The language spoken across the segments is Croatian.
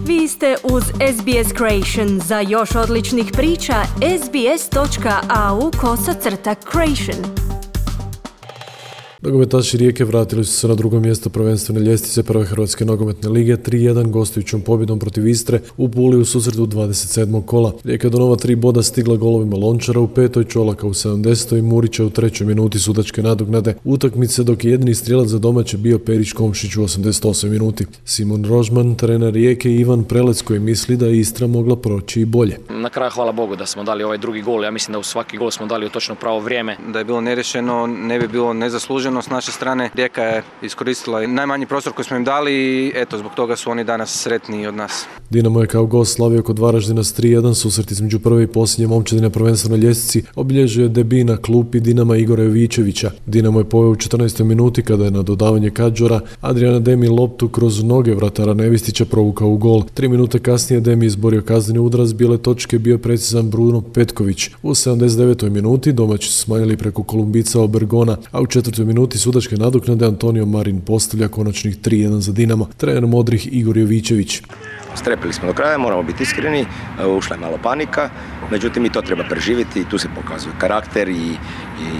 Vi ste uz SBS Creation. Za još odličnih priča, sbs.au/creation. Nogometaši Rijeke vratili su se na drugo mjesto prvenstvene ljestvice prve Hrvatske nogometne lige 3-1 gostujućom pobjedom protiv Istre u Puli u susretu 27. kola. Rijeka je do nova 3 boda stigla golovima Lončara u 5. Čolaka u 70. i Murića u 3. minuti sudačke nadoknade utakmice, dok je jedini strijelac za domaće bio Perić Komšić u 88. minuti. Simon Rožman, trener Rijeke, i Ivan Prelec, koji misli da je Istra mogla proći i bolje. Na kraju hvala Bogu da smo dali ovaj drugi gol. Ja mislim da u svaki gol smo dali u točno pravo vrijeme. Da je bilo nerješeno, ne bi bilo nezasluženo s naše strane. Rijeka je iskoristila najmanji prostor koji smo im dali i eto, zbog toga su oni danas sretniji od nas. Dinamo je kao gost slavio kod Varaždina s 3-1. Susret između prve i posljednje momčadine prvenstvenoj ljestvici obilježio je debi na klupi Dinama Igora Jovićevića. Dinamo je poveo u 14. minuti kada je na dodavanje Kadžora Adriana Demi loptu kroz noge vratara Nevistića provukao u gol. 3 minute kasnije Demi izborio kazneni udarac, bijele točke bio precizan Bruno Petković. U 79. minuti domaći su smanjili preko Kolumbica Obergona, a u 4. minuti sudačke nadoknade Antonio Marin postavlja konačnih 3-1 za Dinamo. Trener modrih Igor Jovićević. Strepili smo do kraja, moramo biti iskreni, ušla je malo panika, međutim i to treba preživjeti i tu se pokazuje karakter i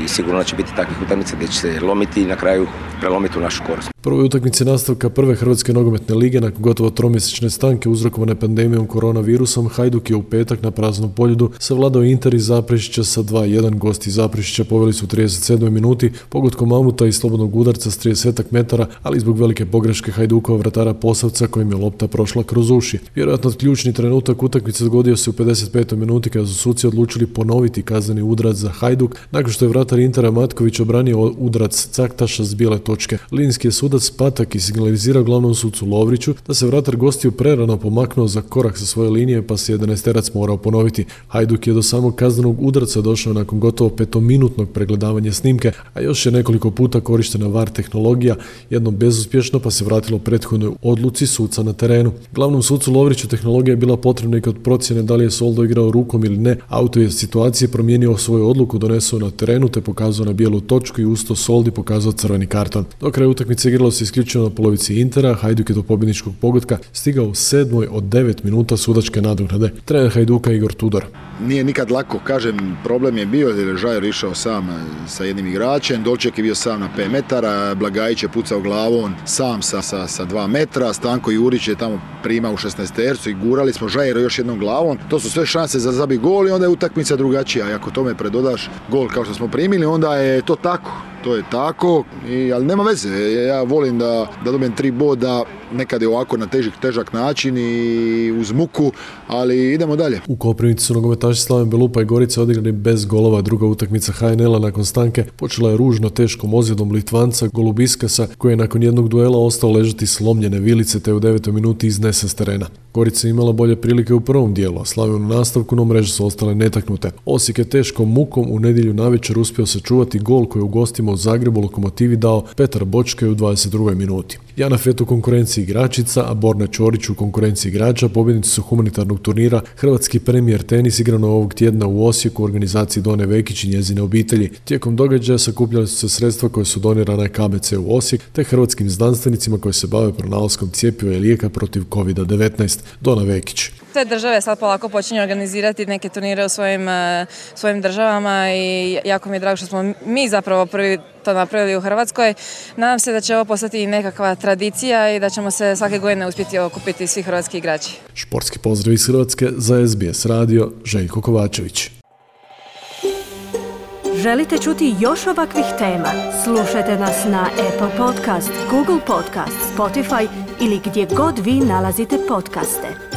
sigurno će biti takvih utakmica gdje će se lomiti i na kraju prelomiti u našu korist. Prvoj utakmici nastavka prve Hrvatske nogometne lige nakon gotovo tromjesečne stanke uzrokovane pandemijom koronavirusom, Hajduk je u petak na praznom Poljudu savladao Inter iz Zaprešića sa 2-1. Gosti iz Zaprešića poveli su u 37. minuti pogotkom Mamuta i slobodnog udarca s 30 metara, ali zbog velike pogreške Hajdukova vratara Posavca kojim je lopta prošla kroz uši. Vjerojatno ključni trenutak utakmice dogodio se u 55. minuti kada su suci odlučili ponoviti kazneni udarac za Hajduk nakon što je vratar Intera Matković obranio udarac Caktaša s bijele točke. Linski je sudac Patak i signalizirao glavnom sucu Lovriću da se vratar gostiju prerano pomaknuo za korak sa svoje linije, pa se 11-terac morao ponoviti. Hajduk je do samog kaznenog udarca došao nakon gotovo 5-minutnog pregledavanja snimke, a još je nekoliko puta korištena VAR tehnologija, jednom bezuspješno, pa se vratilo prethodnoj odluci suca na terenu. Glavnom sucu Lovriću tehnologija je bila potrebna i kod procjene da li je Soldo igrao rukom ili ne. Auto je situacije promijenio svoju odluku, donesao na terenu te pokazao na bijelu točku i usto Soldi pokazao crveni karton. Do kraja utakmice igralo se isključivo na polovici Intera. Hajduk je do pobjedničkog pogotka stigao u 7. od 9 minuta sudačke nadoknade. Trener Hajduka Igor Tudor. Nije nikad lako, kažem, problem je bio jer je Žajer išao sam sa jednim igračem, Dolček je bio sam na 5 metara, Blagajić je pucao glavom sam sa 2 metra, Stanko Jurić je tamo primao u 16-tercu i gurali smo Žajeru još jednom glavom. To su sve šanse za zabi gol i onda je utakmica drugačija. I ako tome predodaš gol kao što smo primili, onda je to tako. To je tako, ali nema veze. Ja volim da dobijem 3 boda, nekad je ovako na težak način i uz muku, ali idemo dalje. U Koprivnici su nogometaši Slaven Belupa i Gorice odigrani bez golova. Druga utakmica HNL-a nakon stanke počela je ružno teškom ozljedom Litvanca Golubiskasa, koji je nakon jednog duela ostao ležati slomljene vilice te u 9. minuti iznesen s terena. Gorica je imala bolje prilike u prvom dijelu, a Slaven u nastavku, no mreže su ostale netaknute. Osijek je teškom mukom u nedjelju navečer uspio sačuvati gol koji u gostima u Zagrebu Lokomotivi dao Petar Bočkaj u 22. minuti. Jana Fet u konkurenciji igračica, a Borna Ćorić u konkurenciji igrača pobjednici su humanitarnog turnira Hrvatski premijer tenis igrano ovog tjedna u Osijeku u organizaciji Done Vekić i njezine obitelji. Tijekom događaja sakupljali su se sredstva koje su donirana KBC u Osijek te hrvatskim znanstvenicima koji se bave pronalaskom cjepiva i lijeka protiv COVID-19. Dona Vekić. Sve države sad polako počinju organizirati neke turnire u svojim državama i jako mi je drago što smo mi zapravo prvi to napravili u Hrvatskoj. Nadam se da će ovo postati nekakva tradicija i da ćemo se svake godine uspjeti okupiti svi hrvatski igrači. Športski pozdrav iz Hrvatske za SBS radio, Željko Kovačević. Želite čuti još ovakvih tema? Slušajte nas na Apple Podcast, Google Podcast, Spotify ili gdje god vi nalazite podcaste.